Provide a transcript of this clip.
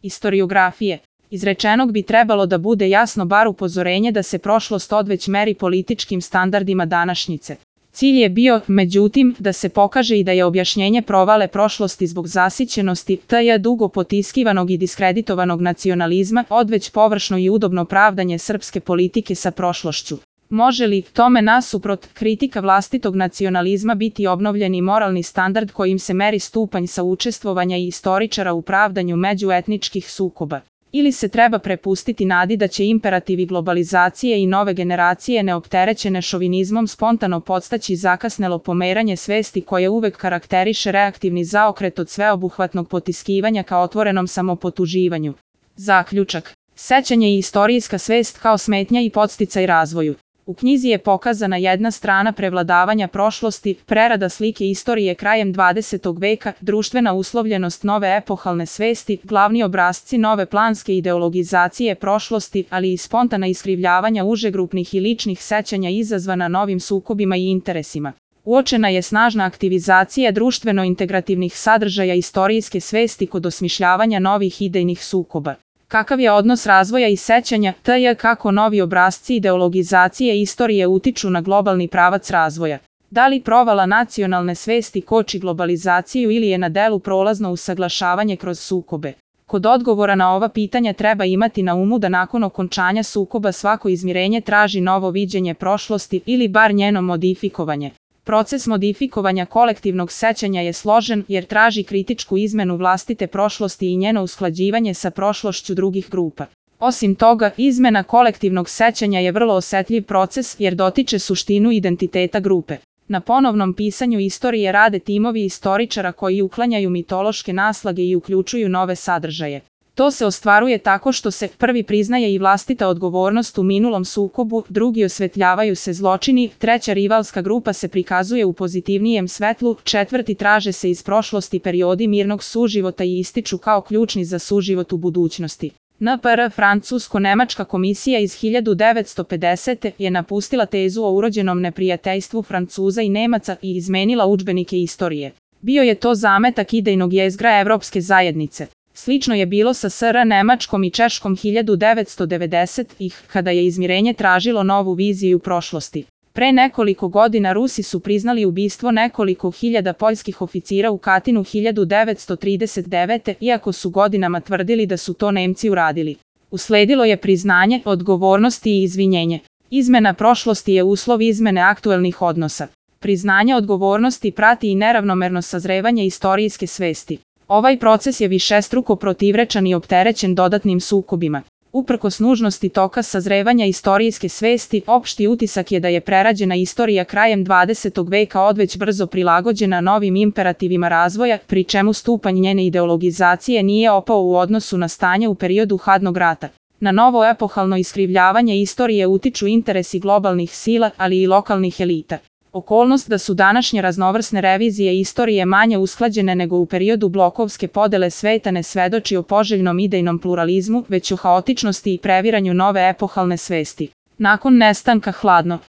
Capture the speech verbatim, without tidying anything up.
istoriografije. Izrečenog bi trebalo da bude jasno bar upozorenje da se prošlost odveć meri političkim standardima današnjice. Cilj je bio, međutim, da se pokaže i da je objašnjenje provale prošlosti zbog zasićenosti, tj. dugo potiskivanog i diskreditovanog nacionalizma, odveć površno i udobno pravdanje srpske politike sa prošlošću. Može li, tome nasuprot, kritika vlastitog nacionalizma biti obnovljeni moralni standard kojim se meri stupanj saučestvovanja i istoričara u pravdanju međuetničkih sukoba? Ili se treba prepustiti nadi da će imperativi globalizacije i nove generacije neopterećene šovinizmom spontano podstaći zakasnelo pomeranje svesti koje uvek karakteriše reaktivni zaokret od sveobuhvatnog potiskivanja ka otvorenom samopotuživanju? Zaključak. Sećanje i istorijska svest kao smetnja i podsticaj razvoju. U knjizi je pokazana jedna strana prevladavanja prošlosti, prerada slike istorije krajem dvadesetog veka, društvena uslovljenost nove epohalne svesti, glavni obrasci nove planske ideologizacije prošlosti, ali i spontana iskrivljavanja užegrupnih i ličnih sećanja izazvana novim sukobima i interesima. Uočena je snažna aktivizacija društveno-integrativnih sadržaja istorijske svesti kod osmišljavanja novih idejnih sukoba. Kakav je odnos razvoja i sećanja, tj. kako novi obrasci ideologizacije istorije utiču na globalni pravac razvoja? Da li provala nacionalne svesti koči globalizaciju ili je na delu prolazno usaglašavanje kroz sukobe? Kod odgovora na ova pitanja treba imati na umu da nakon okončanja sukoba svako izmirenje traži novo viđenje prošlosti ili bar njeno modifikovanje. Proces modifikovanja kolektivnog sećanja je složen jer traži kritičku izmenu vlastite prošlosti i njeno usklađivanje sa prošlošću drugih grupa. Osim toga, izmena kolektivnog sećanja je vrlo osetljiv proces jer dotiče suštinu identiteta grupe. Na ponovnom pisanju istorije rade timovi istoričara koji uklanjaju mitološke naslage i uključuju nove sadržaje. To se ostvaruje tako što se prvi priznaje i vlastita odgovornost u minulom sukobu, drugi osvetljavaju se zločini, treća rivalska grupa se prikazuje u pozitivnijem svetlu, četvrti traže se iz prošlosti periodi mirnog suživota i ističu kao ključni za suživot u budućnosti. N P R Francusko-Nemačka komisija iz hiljadu devetsto pedesete. je napustila tezu o urođenom neprijateljstvu Francuza i Nemaca i izmenila udžbenike istorije. Bio je to zametak idejnog jezgra Evropske zajednice. Slično je bilo sa S R Nemačkom i Češkom hiljadu devetsto devedesetih. kada je izmirenje tražilo novu viziju prošlosti. Pre nekoliko godina Rusi su priznali ubistvo nekoliko hiljada poljskih oficira u Katinu hiljadu devetsto trideset devete. iako su godinama tvrdili da su to Nemci uradili. Usledilo je priznanje, odgovornosti i izvinjenje. Izmena prošlosti je uslov izmene aktuelnih odnosa. Priznanje odgovornosti prati i neravnomerno sazrevanje istorijske svesti. Ovaj proces je višestruko protivrečan i opterećen dodatnim sukobima. Uprkos nužnosti toka sazrevanja istorijske svesti, opšti utisak je da je prerađena istorija krajem dvadesetog veka odveć brzo prilagođena novim imperativima razvoja, pri čemu stupanj njene ideologizacije nije opao u odnosu na stanje u periodu hladnog rata. Na novo epohalno iskrivljavanje istorije utiču interesi globalnih sila, ali i lokalnih elita. Okolnost da su današnje raznovrsne revizije istorije manje usklađene nego u periodu blokovske podele sveta ne svedoči o poželjnom idejnom pluralizmu, već o haotičnosti i previranju nove epohalne svesti. Nakon nestanka hladno